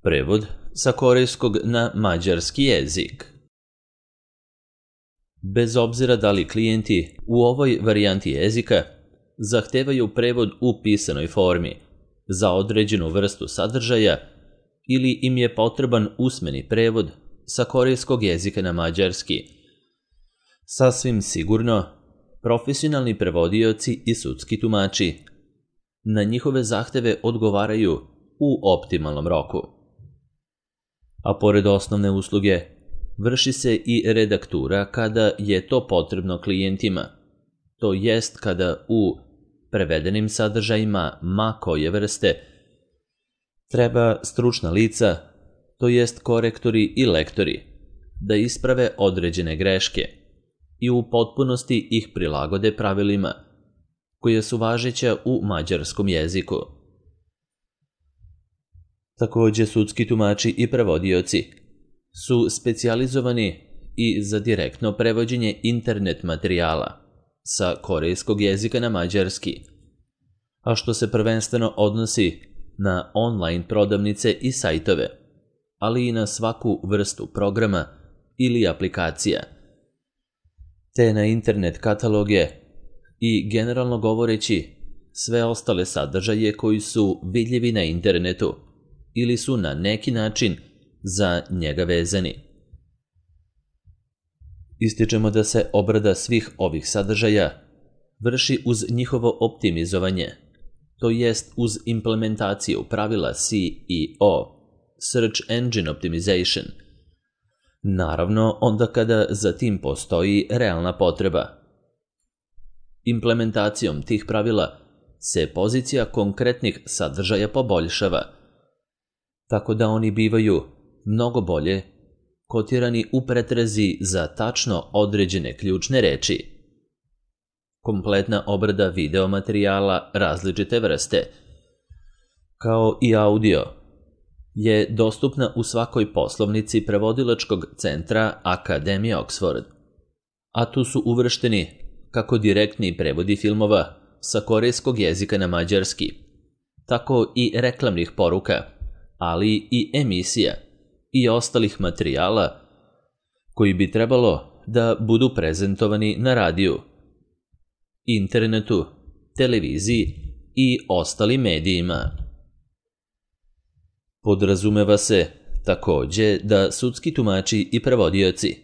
Prevod sa korejskog na mađarski jezik. Bez obzira da li klijenti u ovoj varijanti jezika zahtevaju prevod u pisanoj formi za određenu vrstu sadržaja ili im je potreban usmeni prevod sa korejskog jezika na mađarski. Sasvim sigurno, profesionalni prevodioci i sudski tumači na njihove zahteve odgovaraju u optimalnom roku. A pored osnovne usluge, vrši se i redaktura kada je to potrebno klijentima, to jest kada u prevedenim sadržajima ma koje vrste treba stručna lica, to jest korektori i lektori, da isprave određene greške i u potpunosti ih prilagode pravilima koje su važeća u mađarskom jeziku. Takođe, sudski tumači i prevodioci su specijalizovani i za direktno prevođenje internet materijala sa korejskog jezika na mađarski, a što se prvenstveno odnosi na online prodavnice i sajtove, ali i na svaku vrstu programa ili aplikacija, te na internet kataloge i, generalno govoreći, sve ostale sadržaje koji su vidljivi na internetu ili su na neki način za njega vezani. Ističemo da se obrada svih ovih sadržaja vrši uz njihovo optimizovanje, to jest uz implementaciju pravila SEO, Search Engine Optimization, naravno onda kada za tim postoji realna potreba. Implementacijom tih pravila se pozicija konkretnih sadržaja poboljšava, tako da oni bivaju mnogo bolje kotirani u pretrazi za tačno određene ključne reči. Kompletna obrada video materijala različite vrste, kao i audio, je dostupna u svakoj poslovnici prevodilačkog centra Akademije Oxford, a tu su uvršteni kako direktni prevodi filmova sa korejskog jezika na mađarski, tako i reklamnih poruka, ali i emisija i ostalih materijala koji bi trebalo da budu prezentovani na radiju, internetu, televiziji i ostalim medijima. Podrazumeva se takođe da sudski tumači i prevodioci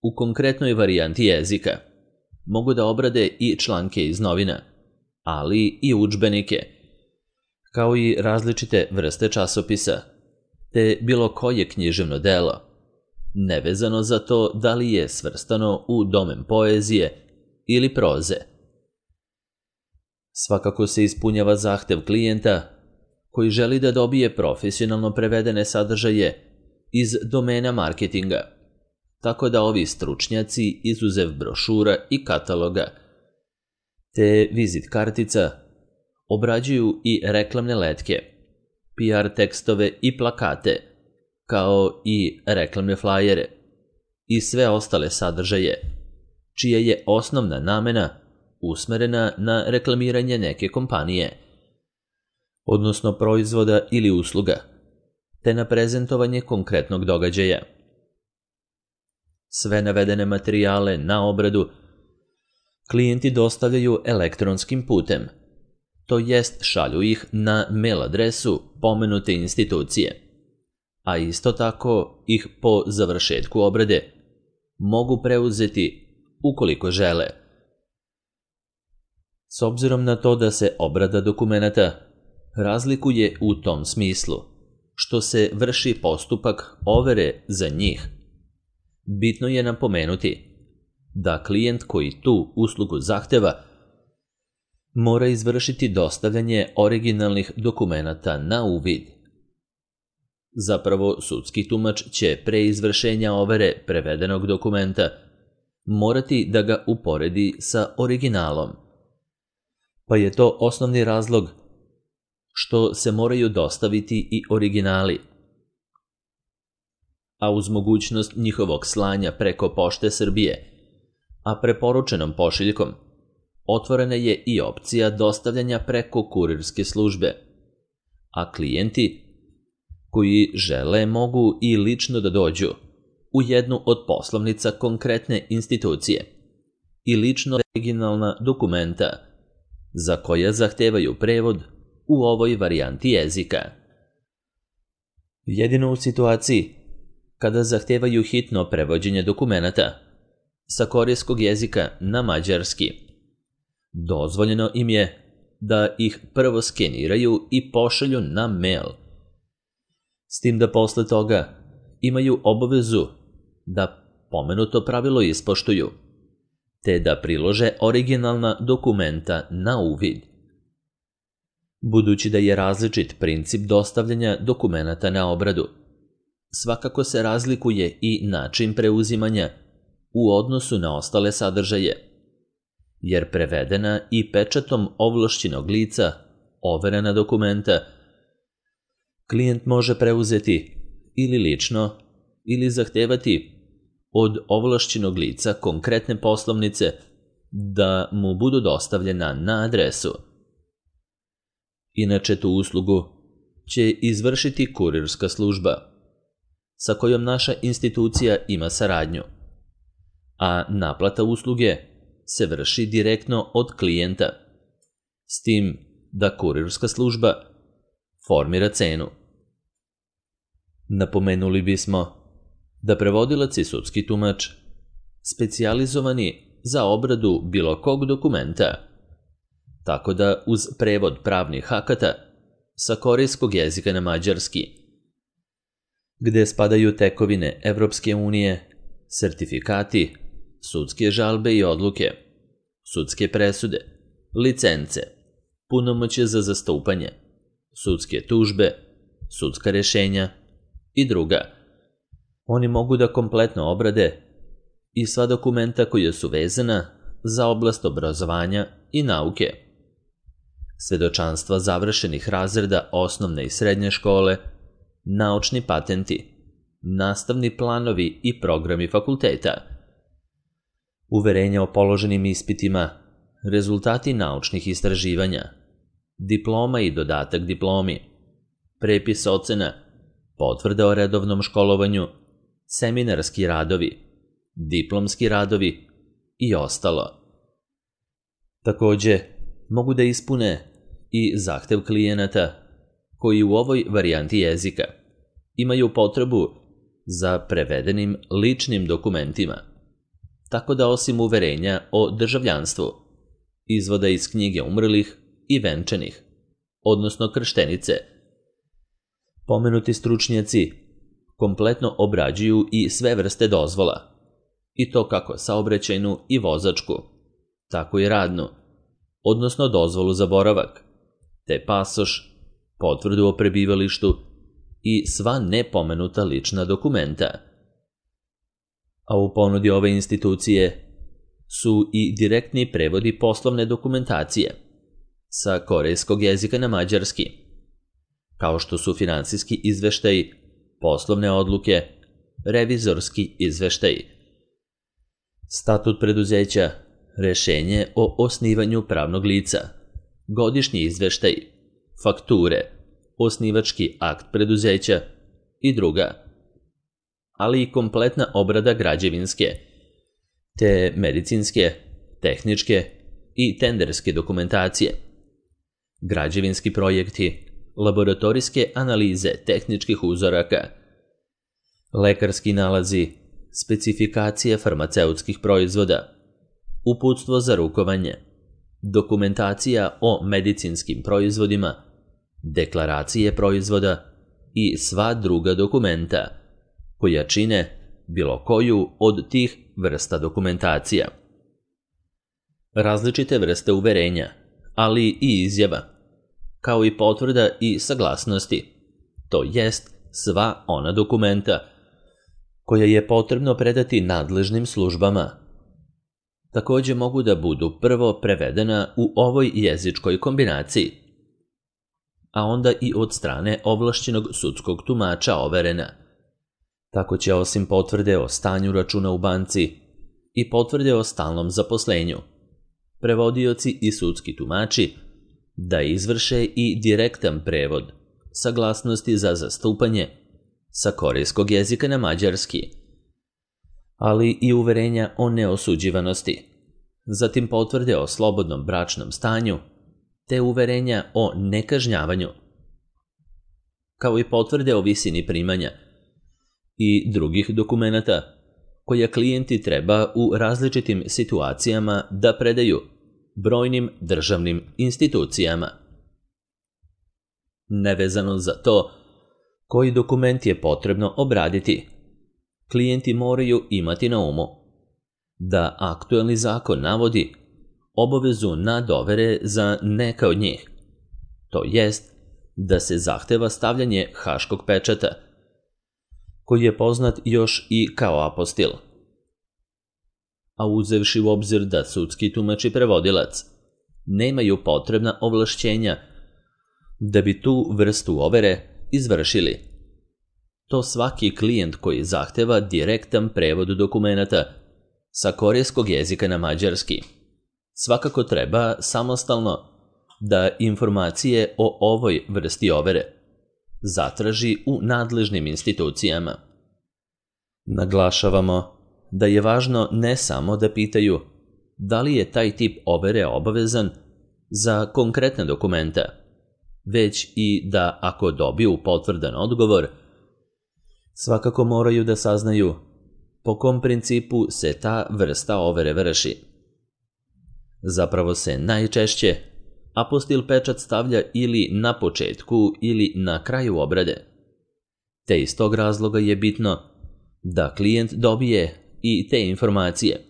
u konkretnoj varijanti jezika mogu da obrade i članke iz novina, ali i udžbenike, kao i različite vrste časopisa, te bilo koje književno delo, nevezano za to da li je svrstano u domen poezije ili proze. Svakako se ispunjava zahtev klijenta koji želi da dobije profesionalno prevedene sadržaje iz domena marketinga, tako da ovi stručnjaci, izuzev brošura i kataloga, te vizit kartica, obrađuju i reklamne letke, PR tekstove i plakate, kao i reklamne flajere i sve ostale sadržaje, čija je osnovna namena usmerena na reklamiranje neke kompanije, odnosno proizvoda ili usluga, te na prezentovanje konkretnog događaja. Sve navedene materijale na obradu klijenti dostavljaju elektronskim putem, to jest šalju ih na mail adresu pomenute institucije, a isto tako ih po završetku obrade mogu preuzeti ukoliko žele. S obzirom na to da se obrada dokumenata razlikuje u tom smislu, što se vrši postupak overe za njih, bitno je napomenuti da klijent koji tu uslugu zahteva mora izvršiti dostavljanje originalnih dokumenata na uvid. Zapravo, sudski tumač će pre izvršenja overe prevedenog dokumenta morati da ga uporedi sa originalom, pa je to osnovni razlog što se moraju dostaviti i originali, a uz mogućnost njihovog slanja preko Pošte Srbije, a preporučenom pošiljkom, otvorena je i opcija dostavljanja preko kurirske službe, a klijenti koji žele mogu i lično da dođu u jednu od poslovnica konkretne institucije i lično originalna dokumenta za koja zahtevaju prevod u ovoj varijanti jezika. Jedino u situaciji kada zahtevaju hitno prevođenje dokumenata sa korejskog jezika na mađarski, dozvoljeno im je da ih prvo skeniraju i pošalju na mail, s tim da posle toga imaju obavezu da pomenuto pravilo ispoštuju, te da prilože originalna dokumenta na uvid. Budući da je različit princip dostavljanja dokumenata na obradu, svakako se razlikuje i način preuzimanja u odnosu na ostale sadržaje, jer prevedena i pečatom ovlašćenog lica overena dokumenta klijent može preuzeti ili lično ili zahtevati od ovlašćenog lica konkretne poslovnice da mu budu dostavljena na adresu. Inače, tu uslugu će izvršiti kurirska služba, sa kojom naša institucija ima saradnju, a naplata usluge se vrši direktno od klijenta, s tim da kurirska služba formira cenu. Napomenuli bismo da prevodilac i sudski tumač, specijalizovani za obradu bilo kog dokumenta, tako da uz prevod pravnih akata sa korejskog jezika na mađarski, gde spadaju tekovine Evropske unije, sertifikati, sudske žalbe i odluke, sudske presude, licence, punomoćje za zastupanje, sudske tužbe, sudska rešenja i druga. Oni mogu da kompletno obrade i sva dokumenta koja su vezana za oblast obrazovanja i nauke, svedočanstva završenih razreda osnovne i srednje škole, naučni patenti, nastavni planovi i programi fakulteta, uverenja o položenim ispitima, rezultati naučnih istraživanja, diploma i dodatak diplomi, prepis ocena, potvrda o redovnom školovanju, seminarski radovi, diplomski radovi i ostalo. Takođe, mogu da ispune i zahtev klijenata koji u ovoj varijanti jezika imaju potrebu za prevedenim ličnim dokumentima, tako da osim uverenja o državljanstvu, izvoda iz knjige umrlih i venčanih, odnosno krštenice, pomenuti stručnjaci kompletno obrađuju i sve vrste dozvola, i to kako saobraćajnu i vozačku, tako i radnu, odnosno dozvolu za boravak, te pasoš, potvrdu o prebivalištu i sva nepomenuta lična dokumenta. A u ponudi ove institucije su i direktni prevodi poslovne dokumentacije sa korejskog jezika na mađarski, kao što su finansijski izveštaji, poslovne odluke, revizorski izveštaji, statut preduzeća, rešenje o osnivanju pravnog lica, godišnji izveštaj, fakture, osnivački akt preduzeća i druga, ali i kompletna obrada građevinske, te medicinske, tehničke i tenderske dokumentacije, građevinski projekti, laboratorijske analize tehničkih uzoraka, lekarski nalazi, specifikacije farmaceutskih proizvoda, uputstvo za rukovanje, dokumentacija o medicinskim proizvodima, deklaracije proizvoda i sva druga dokumenta koja čine bilo koju od tih vrsta dokumentacija. Različite vrste uverenja, ali i izjava, kao i potvrda i saglasnosti, to jest sva ona dokumenta koja je potrebno predati nadležnim službama. Takođe mogu da budu prvo prevedena u ovoj jezičkoj kombinaciji, a onda i od strane ovlašćenog sudskog tumača overena. Tako će osim potvrde o stanju računa u banci i potvrde o stalnom zaposlenju, prevodioci i sudski tumači da izvrše i direktan prevod saglasnosti za zastupanje sa korejskog jezika na mađarski, ali i uverenja o neosuđivanosti, zatim potvrde o slobodnom bračnom stanju, te uverenja o nekažnjavanju, kao i potvrde o visini primanja i drugih dokumenata koje klijenti treba u različitim situacijama da predaju brojnim državnim institucijama. Nevezano za to koji dokument je potrebno obraditi, klijenti moraju imati na umu da aktuelni zakon navodi obavezu na dovere za neka od njih, to jest da se zahteva stavljanje haškog pečata, koji je poznat još i kao apostil. A uzevši u obzir da sudski tumač i prevodilac nemaju potrebna ovlašćenja da bi tu vrstu overe izvršili, to svaki klijent koji zahteva direktan prevod dokumenata sa korejskog jezika na mađarski svakako treba samostalno da informacije o ovoj vrsti overe zatraži u nadležnim institucijama. Naglašavamo da je važno ne samo da pitaju da li je taj tip overe obavezan za konkretne dokumenta, već i da ako dobiju potvrdan odgovor, svakako moraju da saznaju po kom principu se ta vrsta overe vrši. Zapravo se najčešće apostil pečat stavlja ili na početku ili na kraju obrade, te iz tog razloga je bitno da klijent dobije i te informacije,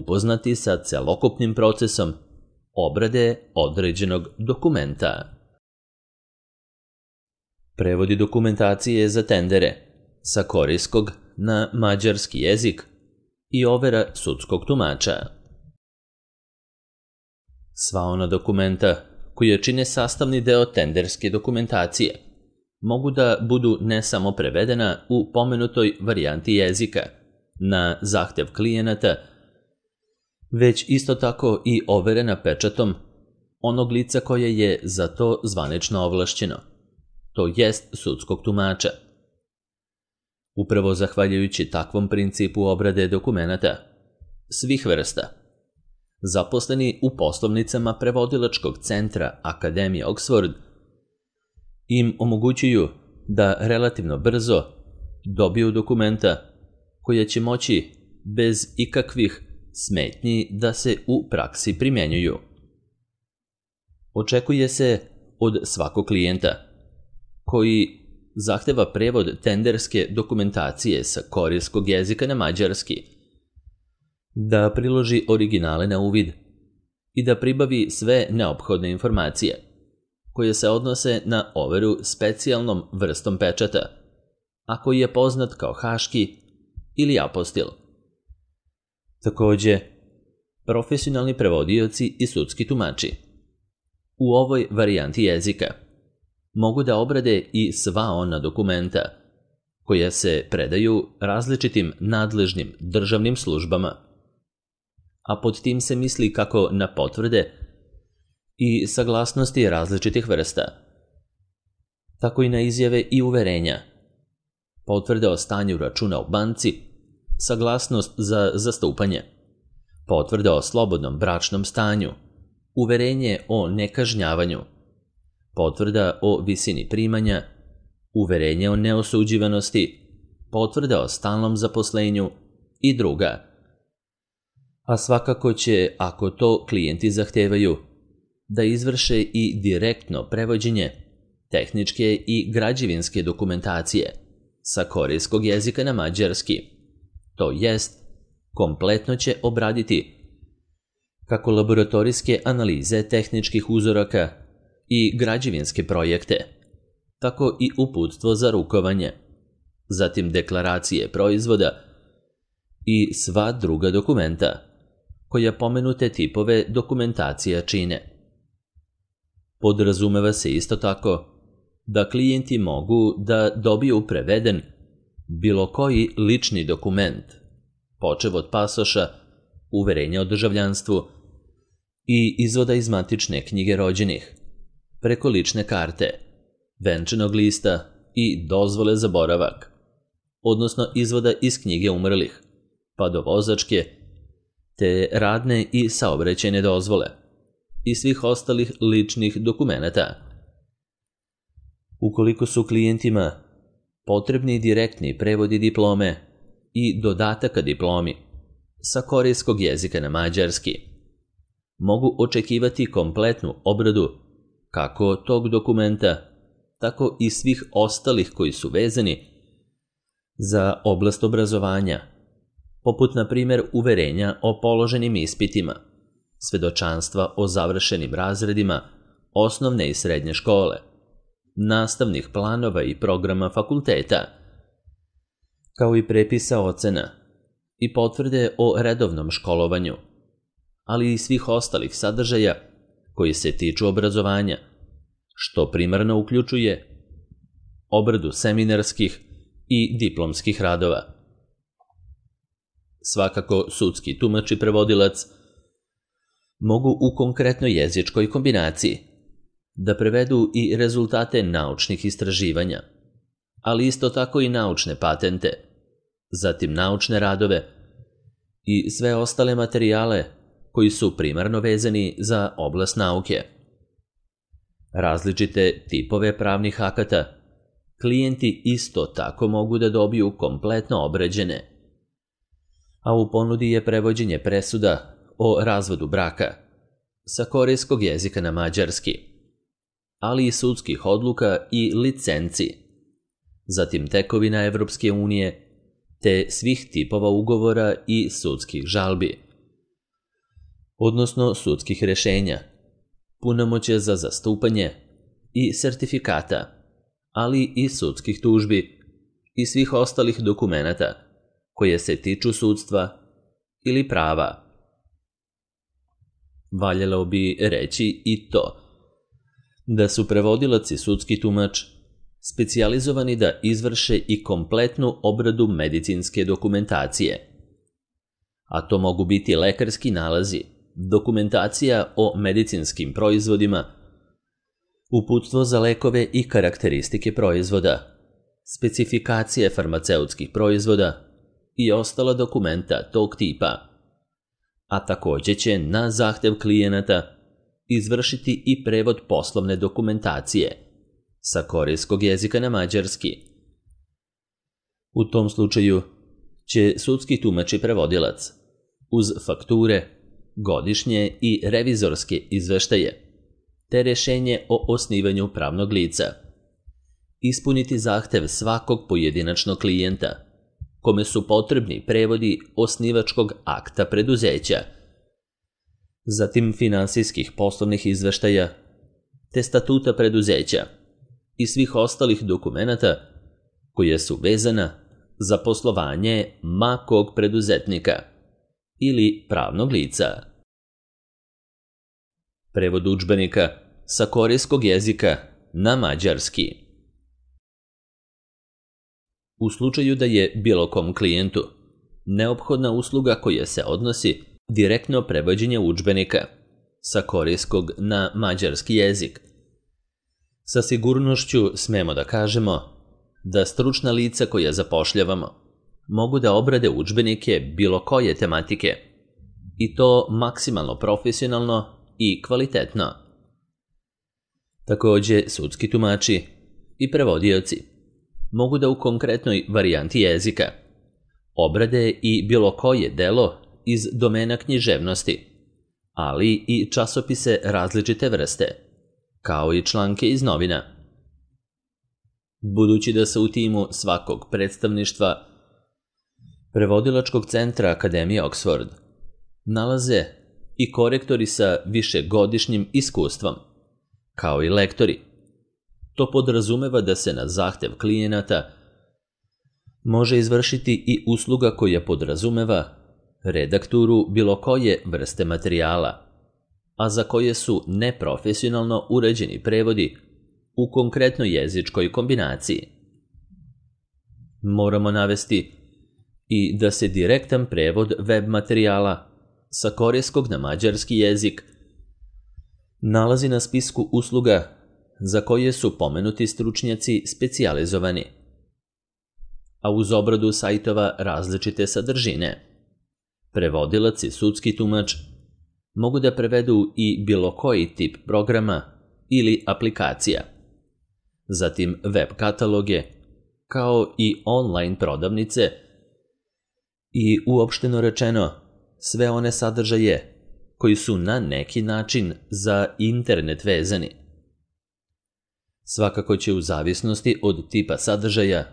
upoznati sa celokupnim procesom obrade određenog dokumenta. Prevodi dokumentacije za tendere sa korejskog na mađarski jezik i overa sudskog tumača. Sva ona dokumenta koja čine sastavni deo tenderske dokumentacije mogu da budu ne samo prevedena u pomenutoj varijanti jezika na zahtev klijenata, već isto tako i overena pečatom onog lica koje je za to zvanično ovlašćeno, to jest sudskog tumača. Upravo zahvaljujući takvom principu obrade dokumenata svih vrsta, zaposleni u poslovnicama prevodilačkog centra Akademije Oxford im omogućuju da relativno brzo dobiju dokumenta koja će moći bez ikakvih smetnji da se u praksi primjenjuju. Očekuje se od svakog klijenta koji zahteva prevod tenderske dokumentacije sa korejskog jezika na mađarski da priloži originale na uvid i da pribavi sve neophodne informacije koje se odnose na overu specijalnom vrstom pečata, a koji je poznat kao haški ili apostil. Takođe, profesionalni prevodioci i sudski tumači u ovoj varijanti jezika mogu da obrade i sva ona dokumenta koja se predaju različitim nadležnim državnim službama, a pod tim se misli kako na potvrde i saglasnosti različitih vrsta, tako i na izjave i uverenja, potvrde o stanju računa u banci, saglasnost za zastupanje, potvrde o slobodnom bračnom stanju, uverenje o nekažnjavanju, potvrda o visini primanja, uverenje o neosuđivanosti, potvrda o stalnom zaposlenju i druga. A svakako će, ako to klijenti zahtevaju, da izvrše i direktno prevođenje tehničke i građevinske dokumentacije sa korejskog jezika na mađarski, to jest kompletno će obraditi kako laboratorijske analize tehničkih uzoraka i građevinske projekte, tako i uputstvo za rukovanje, zatim deklaracije proizvoda i sva druga dokumenta koja pomenute tipove dokumentacija čine. Podrazumeva se isto tako da klijenti mogu da dobiju preveden bilo koji lični dokument, počev od pasoša, uverenja o državljanstvu i izvoda iz matične knjige rođenih, preko lične karte, venčanog lista i dozvole za boravak, odnosno izvoda iz knjige umrlih, pa do vozačke, te radne i saobraćajne dozvole i svih ostalih ličnih dokumenata. Ukoliko su klijentima potrebni direktni prevodi diplome i dodataka diplomi sa korejskog jezika na mađarski, mogu očekivati kompletnu obradu kako tog dokumenta, tako i svih ostalih koji su vezani za oblast obrazovanja, poput na primjer uverenja o položenim ispitima, svedočanstva o završenim razredima osnovne i srednje škole, nastavnih planova i programa fakulteta, kao i prepisa ocena i potvrde o redovnom školovanju, ali i svih ostalih sadržaja koji se tiču obrazovanja, što primarno uključuje obradu seminarskih i diplomskih radova. Svakako, sudski tumač i prevodilac mogu u konkretnoj jezičkoj kombinaciji da prevedu i rezultate naučnih istraživanja, ali isto tako i naučne patente, zatim naučne radove i sve ostale materijale koji su primarno vezani za oblast nauke. Različite tipove pravnih akata klijenti isto tako mogu da dobiju kompletno obrađene, a u ponudi je prevođenje presuda o razvodu braka sa korejskog jezika na mađarski, ali i sudskih odluka i licenci, zatim tekovina Evropske unije, te svih tipova ugovora i sudskih žalbi, odnosno sudskih rešenja, punomoćja za zastupanje i sertifikata, ali i sudskih tužbi i svih ostalih dokumenata koje se tiču sudstva ili prava. Valjalo bi reći i to da su prevodilac i sudski tumač specijalizovani da izvrše i kompletnu obradu medicinske dokumentacije, a to mogu biti lekarski nalazi, dokumentacija o medicinskim proizvodima, uputstvo za lekove i karakteristike proizvoda, specifikacije farmaceutskih proizvoda i ostala dokumenta tog tipa, a također će na zahtev klijenata izvršiti i prevod poslovne dokumentacije sa korejskog jezika na mađarski. U tom slučaju će sudski tumač i prevodilac uz fakture, godišnje i revizorske izveštaje te rješenje o osnivanju pravnog lica ispuniti zahtev svakog pojedinačnog klijenta kome su potrebni prevodi osnivačkog akta preduzeća, zatim finansijskih poslovnih izveštaja te statuta preduzeća i svih ostalih dokumenata koje su vezana za poslovanje ma kog preduzetnika ili pravnog lica. Prevod udžbenika sa korejskog jezika na mađarski. U slučaju da je bilo kom klijentu neophodna usluga koja se odnosi direktno prevođenje udžbenika sa korejskog na mađarski jezik, sa sigurnošću smemo da kažemo da stručna lica koja zapošljavamo mogu da obrade udžbenike bilo koje tematike i to maksimalno profesionalno i kvalitetno. Također, sudski tumači i prevodioci mogu da u konkretnoj varijanti jezika obrade i bilo koje delo iz domena književnosti, ali i časopise različite vrste, kao i članke iz novina. Budući da se u timu svakog predstavništva prevodilačkog centra Akademije Oxford nalaze i korektori sa višegodišnjim iskustvom, kao i lektori, to podrazumeva da se na zahtev klijenata može izvršiti i usluga koja podrazumeva redakturu bilo koje vrste materijala, a za koje su neprofesionalno uređeni prevodi u konkretnoj jezičkoj kombinaciji. Moramo navesti i da se direktan prevod web materijala sa korejskog na mađarski jezik nalazi na spisku usluga za koje su pomenuti stručnjaci specijalizovani, a uz obradu sajtova različite sadržine. Prevodilac i sudski tumač mogu da prevedu i bilo koji tip programa ili aplikacija, zatim web kataloge, kao i online prodavnice i uopšteno rečeno sve one sadržaje koji su na neki način za internet vezani. Svakako će u zavisnosti od tipa sadržaja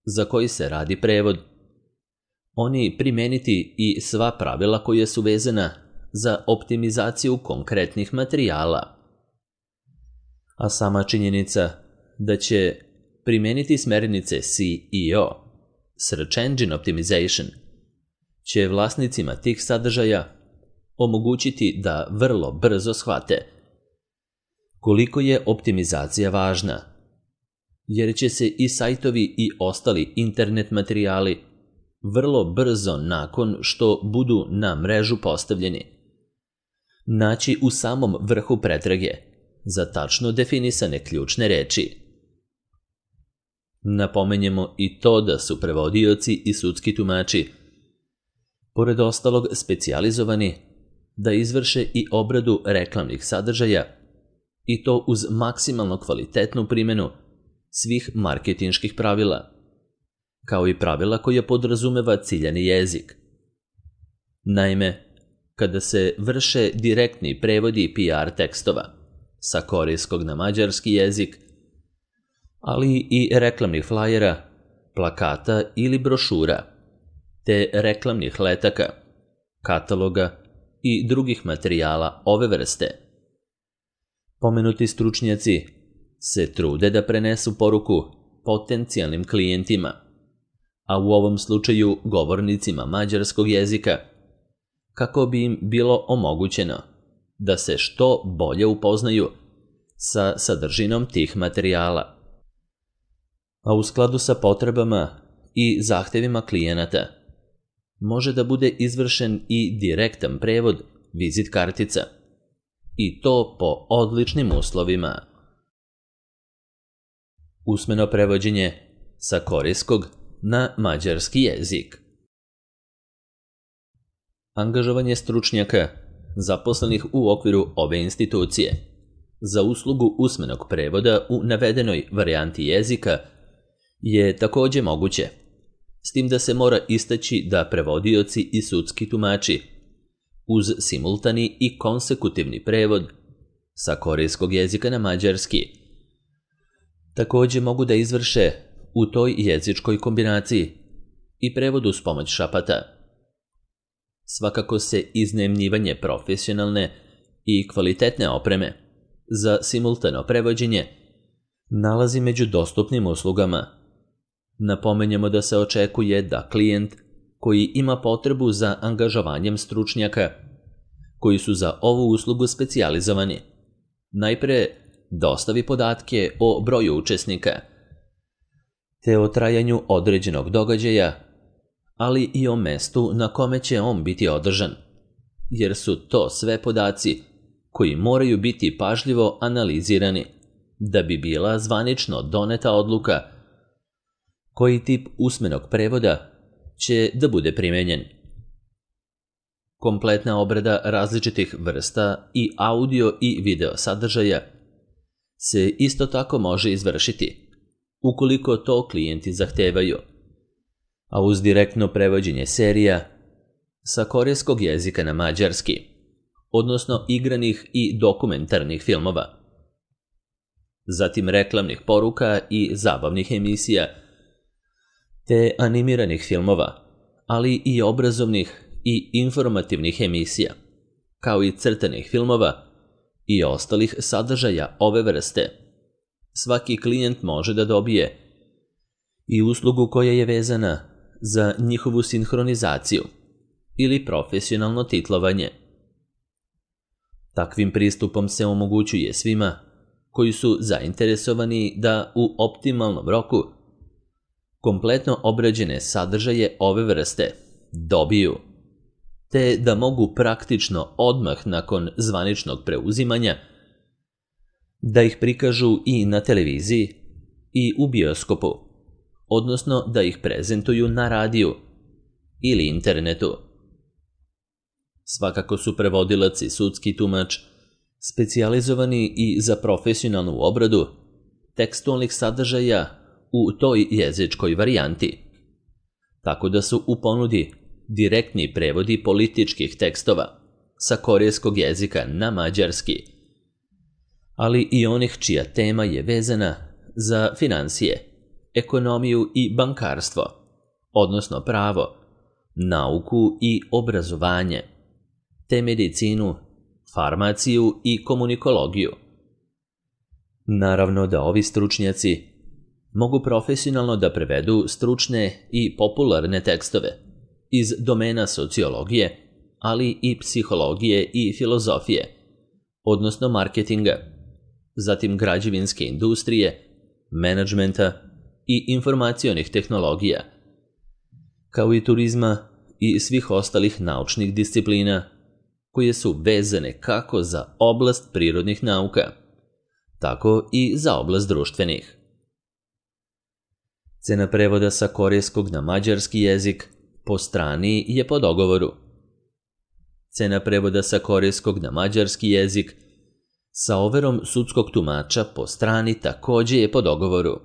za koji se radi prevod, oni primeniti i sva pravila koja su vezana za optimizaciju konkretnih materijala. A sama činjenica da će primeniti smernice SEO, Search Engine Optimization, će vlasnicima tih sadržaja omogućiti da vrlo brzo shvate koliko je optimizacija važna, jer će se i sajtovi i ostali internet materijali vrlo brzo nakon što budu na mrežu postavljeni naći u samom vrhu pretrage za tačno definisane ključne reči. Napomenjemo i to da su prevodioci i sudski tumači, pored ostalog, specijalizovani da izvrše i obradu reklamnih sadržaja, i to uz maksimalno kvalitetnu primjenu svih marketinških pravila, kao i pravila koje podrazumeva ciljani jezik. Naime, kada se vrše direktni prevodi PR tekstova sa korejskog na mađarski jezik, ali i reklamnih flajera, plakata ili brošura, te reklamnih letaka, kataloga i drugih materijala ove vrste, pomenuti stručnjaci se trude da prenesu poruku potencijalnim klijentima, a u ovom slučaju govornicima mađarskog jezika, kako bi im bilo omogućeno da se što bolje upoznaju sa sadržinom tih materijala, a u skladu sa potrebama i zahtevima klijenata može da bude izvršen i direktan prevod vizit kartica, i to po odličnim uslovima. Usmeno prevođenje sa korejskog na mađarski jezik. Angažovanje stručnjaka zaposlenih u okviru ove institucije za uslugu usmenog prevoda u navedenoj varijanti jezika je takođe moguće, s tim da se mora istaći da prevodioci i sudski tumači uz simultani i konsekutivni prevod sa korejskog jezika na mađarski takođe mogu da izvrše u toj jezičkoj kombinaciji i prevod uz pomoć šapata. Svakako se iznajmljivanje profesionalne i kvalitetne opreme za simultano prevođenje nalazi među dostupnim uslugama. Napomenjemo da se očekuje da klijent koji ima potrebu za angažovanjem stručnjaka koji su za ovu uslugu specijalizovani najpre dostavi podatke o broju učesnika te o trajanju određenog događaja, ali i o mestu na kome će on biti održan, jer su to sve podaci koji moraju biti pažljivo analizirani da bi bila zvanično doneta odluka koji tip usmenog prevoda će da bude primenjen. Kompletna obrada različitih vrsta i audio i video sadržaja se isto tako može izvršiti, ukoliko to klijenti zahtevaju, a uz direktno prevođenje serija sa korejskog jezika na mađarski, odnosno igranih i dokumentarnih filmova, zatim reklamnih poruka i zabavnih emisija, te animiranih filmova, ali i obrazovnih i informativnih emisija, kao i crtanih filmova i ostalih sadržaja ove vrste. Svaki klijent može da dobije i uslugu koja je vezana za njihovu sinhronizaciju ili profesionalno titlovanje. Takvim pristupom se omogućuje svima koji su zainteresovani da u optimalnom roku kompletno obrađene sadržaje ove vrste dobiju, te da mogu praktično odmah nakon zvaničnog preuzimanja da ih prikažu i na televiziji i u bioskopu, odnosno da ih prezentuju na radiju ili internetu. Svakako su prevodilac i sudski tumač specijalizovani i za profesionalnu obradu tekstualnih sadržaja u toj jezičkoj varijanti, tako da su u ponudi direktni prevodi političkih tekstova sa korejskog jezika na mađarski, ali i onih čija tema je vezana za finansije, ekonomiju i bankarstvo, odnosno pravo, nauku i obrazovanje, te medicinu, farmaciju i komunikologiju. Naravno da ovi stručnjaci mogu profesionalno da prevedu stručne i popularne tekstove iz domena sociologije, ali i psihologije i filozofije, odnosno marketinga, zatim građevinske industrije, menadžmenta i informacionih tehnologija, kao i turizma i svih ostalih naučnih disciplina koje su vezane kako za oblast prirodnih nauka, tako i za oblast društvenih. Cena prevoda sa korejskog na mađarski jezik po strani je po dogovoru. Cena prevoda sa korejskog na mađarski jezik sa overom sudskog tumača po strani takođe je po dogovoru.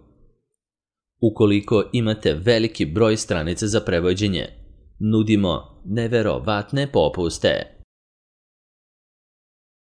Ukoliko imate veliki broj stranica za prevođenje, nudimo neverovatne popuste.